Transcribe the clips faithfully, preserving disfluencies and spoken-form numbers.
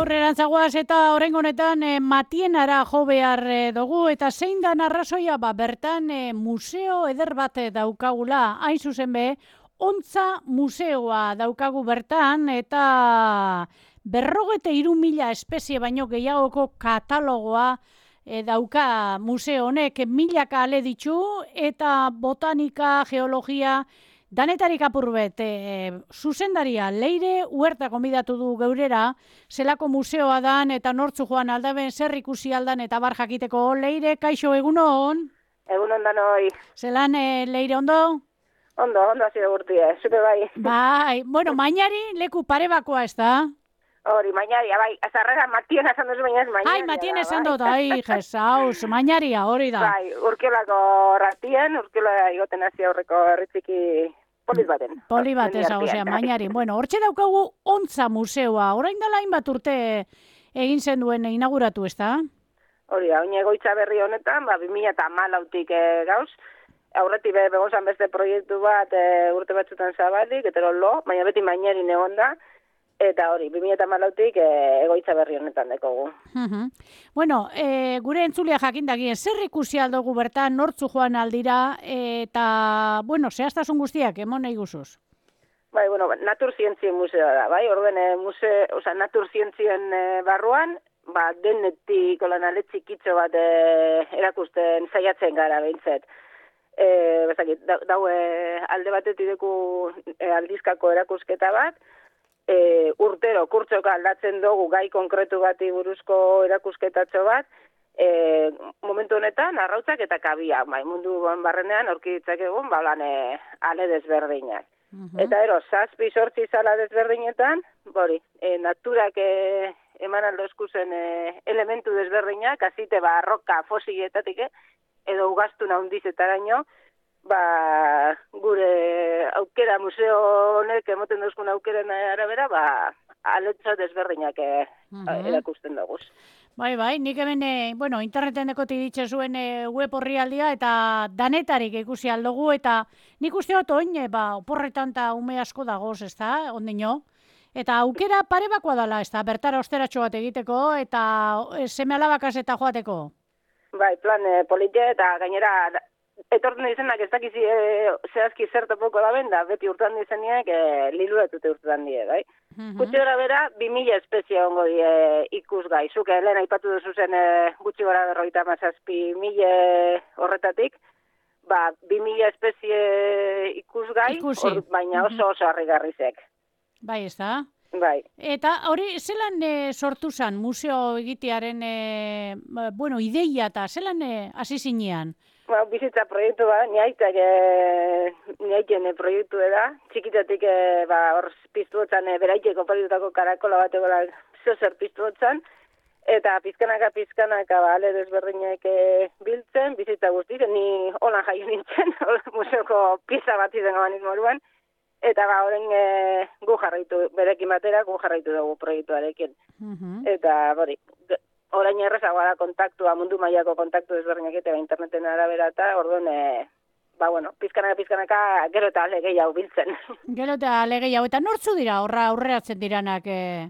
aurrerantzagoaz eta oraingo honetan e, Matienara jo behar e, dugu eta zein da arrazoia ba bertan e, museo eder bat daukagula, hain zuzen be, Ontza museoa daukagu bertan eta berrogete hiru mila espezie baino gehiagoko katalogoa e, dauka museo honek, milaka ale ditu eta botanika, geologia, danetarik apurbet, e, zuzendaria Leire Huerta gonbidatu du geurera, zelako museoa dan eta nortzu joan aldaben, zer ikusi aldan eta bar jakiteko. Leire, kaixo, egunon? Egunon danoi. Zelan, e, Leire, ondo? Ondo, ondo hasi gurtia, zupe bai. Bai, bueno, mainari leku parebakoa ez da? Hori, mainaria, bai, azarrera Matien esan duzu baina ez mainaria. Ai, Matien esan dut, ai, jesaus, mainaria, hori da. Bai, urkiolako ratien, urkiola igoten hasi aurreko herritziki polit baten. Poli bat ez, osea, mainari. Bueno, hortxe daukagu Ontza museoa, orain dela hainbat urte egin zen duen inauguratu, ez da? Hori, hain egoitza berri honetan, ba, bi mila hamalautik e, gauz, aurretik be, begozan beste proiektu bat e, urte batzutan zabalik, etero lo, baina beti mainari egon da, eta hori, bi mila hamalautik e, egoitza berri honetan dekogu. Uh-huh. Bueno, e, gure entzulia jakindagien, zer ikusi aldogu bertan, nortzu joan aldira, eta, bueno, zehaztasun guztiak, emon nahi guzuz? Bai, bueno, naturzientzien museoa da, bai, orduen e, muse, oza, naturzientzien e, barruan, ba, denetik, olan aletxikitxo bat e, erakusten saiatzen gara behintzet. E, bezakit, da, dau e, alde batetik deku e, aldizkako erakusketa bat, e, urtero kurtsoka aldatzen dugu gai konkretu bati buruzko erakusketatxo bat, e, momentu honetan arrautzak eta kabia, bai, mundu barrenean aurki ditzakegu, ba, lan e, ale desberdinak. Uh-huh. Eta ero, zazpi sortzi zala desberdinetan, bori, e, naturak e, eman aldozkuzen e, elementu desberdinak, azite ba, roka fosilietatik, eh? Edo ugaztuna hundizetaraino, ba, gure aukera museo honek emoten duzkun aukeren arabera, ba, aletxo desberdinak e, uh-huh. erakusten dugu. Bai, bai, nik hemen, e, bueno, interneten dekoti ditxe zuen e, web horrialdia eta danetarik ikusi aldugu, eta nik uste dut oin, e, ba, oporretan eta ume asko dagoz, ez da, ondino? Eta aukera parebakoa dela, ez da, bertara osteratxo bat egiteko, eta e, seme alabakaz eta joateko? Bai, plan e, politia eta gainera etorten dizenak ez dakizi e, zehazki zertopoko da ben, da beti urtean dizeniak e, liluratute urtean die, bai? Uh-huh. Gutxi gara bera, bi mila espezie ongo die ikusgai. Zuke, lehen aipatu duzu zen e, gutxi gara berroita mazazpi mila horretatik, ba, bi mila espezie ikusgai, or, baina oso oso harrigarrizek. Bai, ez da? Bai. Eta hori, zelan e, sortu zen museo egitearen, e, bueno, ideia eta zelan e, hasi zinean? Ba, bizitza proiektu ba, niaitak e, niaiken e, proiektu da. Txikitatik e, ba, hor piztu hotzan e, beraiteko paritutako karakola bat egola zozer piztu hotzan. Eta pizkanaka, pizkanaka, ba, ale desberdinak e, biltzen, bizitza guztiz, ni holan jaio nintzen, museoko pieza bat izan gabanik moruan. Eta ba, horren e, gu jarraitu, berekin batera, gu jarraitu dugu proiektuarekin. Uh-huh. Eta, bori, orain errezagoa da kontaktua, mundu mailako kontaktu desberdinak eta interneten arabera eta, orduan, e, ba, bueno, pizkanaka, pizkanaka, gero eta ale gehiago biltzen. Gero eta ale gehiago, eta nortzu dira, horra aurreratzen diranak, e,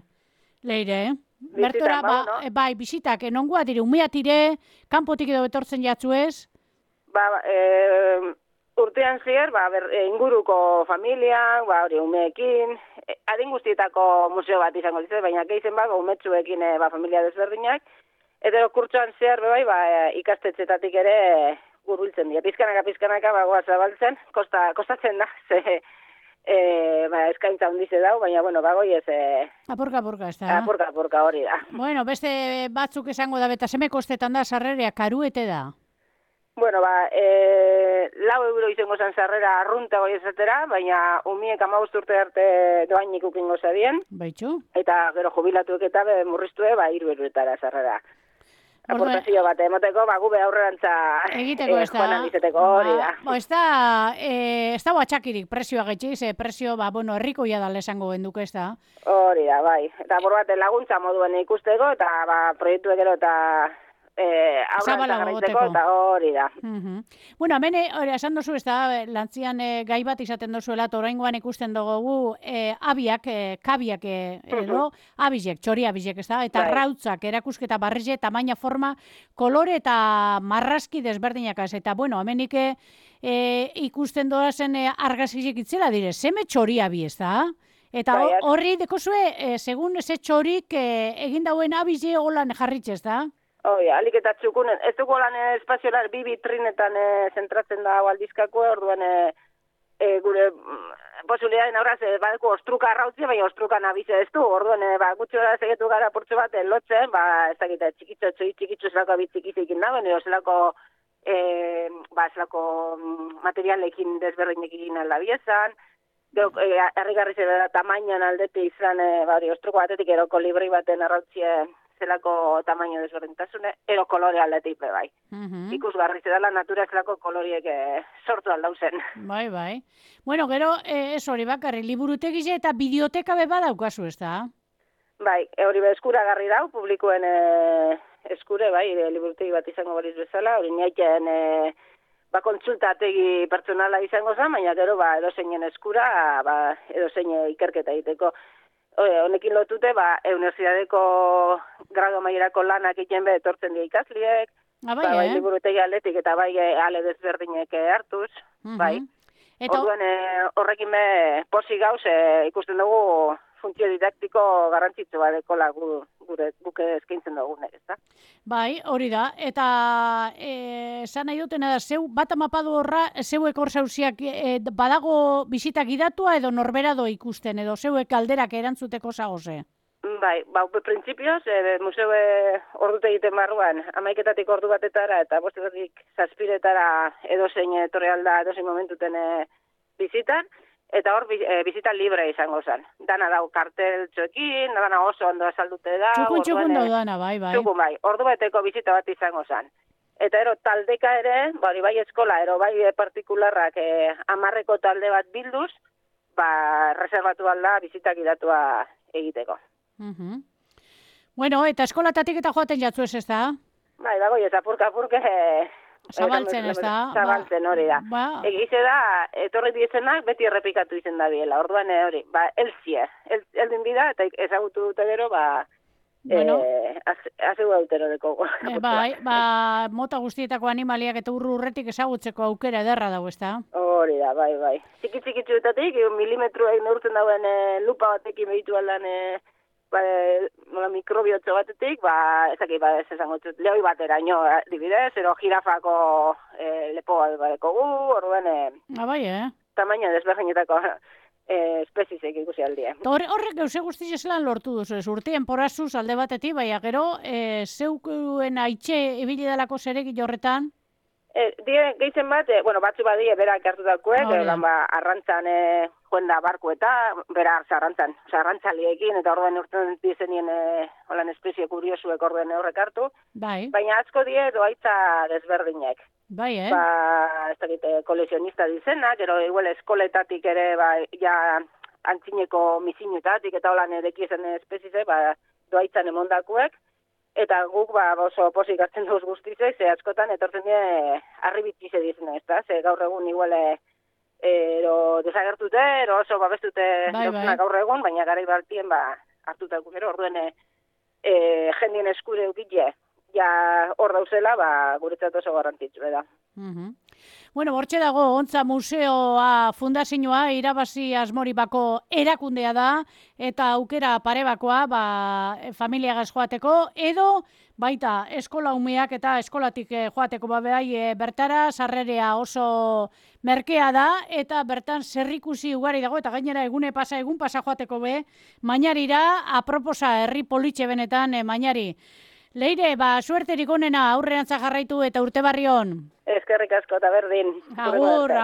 Leire, eh? Bertora, ba, ba, no? Bai, bisitak, nongoa dire, umeat dire, kanpotik edo betortzen jatzu ez? Ba, e, urtean zier, ba, ber, inguruko familia, ba, hori, umeekin, e, adin guztietako museo bat izango ditzen, baina geizen bago umetsuekin e, ba, familia desberdinak, eta kurtsoan zier, bai, ba, ikastetxetatik ere gurbiltzen dira. Pizkanaka, pizkanaka, ba, goa zabaltzen, kosta, kostatzen da, ze, e, ba, eskaintza hundize dau, baina, bueno, bagoi ez... E, apurka, apurka, ez da. Apurka, apurka, hori da. Bueno, beste batzuk esango da, beta seme kostetan da, sarrerea, karuete da. Bueno, ba, e, lau euro izango zen sarrera arrunta goi esatera, baina umiek amabost urte arte doainik ukingo zadien. Baitxu. Eta gero jubilatuek eta be, murriztue, ba, iru euroetara sarrera. Aportazio bat emoteko, ba, gube aurrerantza egiteko ez da. Hori da. Ba, ez da, e, ez da batxakirik presioa getxiz, e, presio, ba, bueno, herrikoia da lesango genduke ez da. Hori da, bai. Eta bor bat laguntza moduen ikusteko, eta ba, proiektu gero eta e, aurra eta garaitzeko, eta hori da. Uh-huh. Bueno, hemen, hori, esan dozu, ez da, lantzian e, gai bat izaten dozuela, eta oraingoan ikusten dugu, e, abiak, e, kabiak e, edo, uh-huh. abizek, txori abizek, ez da, eta bai. Rautzak, erakusketa barrize, tamaina, forma, kolore eta marrazki desberdinak ez, eta, bueno, hemenik e, ikusten doazen e, argazkizik itzela dire, zeme txori abi, ez da? Eta horri dekozue, e, segun ze txorik e, egin dauen abize holan jarritxe, ez da? Oi, alik eta txukunen, ez dugu lan espaziolar bi bitrinetan e, zentratzen da aldizkako, orduan e, e, gure posibilitateen aurraz, e, badeko ostruka arrautzia, baina ostruka nabize ez du, orduan e, ba, gutxi gara segetu gara portzu bat e, lotzen, ba, ez dakita, txikitzo, txoi, txikitzo zelako abitzikizik indaben, edo zelako, e, ba, zelako materialekin desberdinekin aldabiezan, herrigarri e, zera tamainan aldete izan, e, ba, ostruko batetik eroko libri baten arrautzie, zelako tamaino desberdintasune, ero kolore aldetik bai. Uh-huh. Ikusgarri zedala natura zelako koloriek e, sortu aldauzen. Bai, bai. Bueno, gero, e, ez hori bakarri, liburutegize eta bideoteka beba daukazu, ez da? Bai, hori be eskuragarri dau, publikoen e, eskure, bai, e, liburutegi bat izango baliz bezala, hori niaiten e, ba, kontsultategi pertsonala izango zen, baina gero, ba, edozeinen eskura, ba, edozein ikerketa egiteko. Honekin lotute, ba, Universidadeko grado maierako lanak egiten be etortzen dira ikasliek, ah, bai, ba, bai, eh? liburutegi aldetik eta bai ale desberdinek hartuz, uh-huh. bai. Eta... Orduan horrekin be posi gauz e, ikusten dugu funtzio didaktiko garrantzitsu bat dekola gure guke eskaintzen dugunek, ezta? Bai, hori da. Eta esan nahi dutena da, zeu bat amapadu horra, zeuek hor zauziak e, badago bisita gidatua edo norberado ikusten, edo zeuek alderak erantzuteko zagoze? Bai, ba, printzipioz, e, museue ordute egiten barruan, amaiketatik ordu batetara eta bostetatik zazpiretara edozein etorri alda edozein momentuten e, bizitan, eta hor e, bizita libre izango zen. Dana dau kartel txoekin, dana oso ondo azaldute da. Txukun, txukun da dana, bai, bai. Txukun, bai. Ordu beteko bizita bat izango zen. Eta ero taldeka ere, bai, bai eskola, ero bai partikularrak e, amarreko talde bat bilduz, ba, reservatu alda bizitak idatua egiteko. Uh-huh. Bueno, eta eskolatatik eta joaten jatzu ez ez da? Bai, dago, ez apurka-apurke... Zabaltzen ez da? Zabaltzen hori da. Ba. Egize da, etorri diezenak beti errepikatu izen da biela. Orduan hori, ba, elzie. El, eldin bida, eta ezagutu dute gero, ba, bueno. e, azegu dautero deko. E, bai, ba, mota guztietako animaliak eta urru urretik ezagutzeko aukera ederra dago, ez da? Hori da, bai, bai. Txiki-txikitzuetatik, milimetroek neurtzen dauen e, lupa batekin behitu aldan, e, ba, mikrobiotzo batetik, ba, ezakit, ba, ez esango txut, lehoi batera, ino, dibidez, ero jirafako e, lepo bat badeko gu, orduen, e, ah, bai, eh? tamaina desberdinetako e, espezizek ikusi aldie. Horre, horrek euse guztiz eslan lortu duzu, ez urtien porazuz alde batetik, baina gero, e, zeukuen aitxe ibili dalako zerek horretan? E, die, gehizen bat, e, bueno, batzu badie berak hartu dakuek, oh, e, ba, arrantzan e, joen da barku eta bera hartza arrantzan, oza, arrantzaliekin, eta orduan urten dizenien e, holan espezie kuriosuek orduan horrek hartu, bai. Baina asko die doaitza desberdinek. Bai, eh? Ba, ez dakit, kolekzionista dizenak, ero igual eskoletatik ere, ba, ja antzineko misinutatik eta holan erekiezen espezize, ba, doaitzan emondakuek, eta guk ba, oso posik hartzen duz guztizek, ze askotan etortzen die arribitzize dizene, ez da? Ze gaur egun igual ero desagertute, ero oso babestute bai, bai. Gaur egun, baina garai baltien ba, hartutako gero, orduen e, jendien eskure eukitze, ja hor dauzela, ba, guretzat oso garrantzitsu, da. Uh-huh. Bueno, bortxe dago, Ontza Museoa fundazioa irabazi asmori bako erakundea da, eta aukera parebakoa ba, familiagaz joateko, edo baita eskola umeak eta eskolatik joateko ba, behai bertara, sarrerea oso merkea da, eta bertan zerrikusi ugari dago, eta gainera egune pasa, egun pasa joateko be, mainarira, aproposa herri politxe benetan, e, mainari. Leire, ba, suerterik onena aurrean jarraitu eta urte barri on. Eskerrik asko eta berdin. Agur, agur.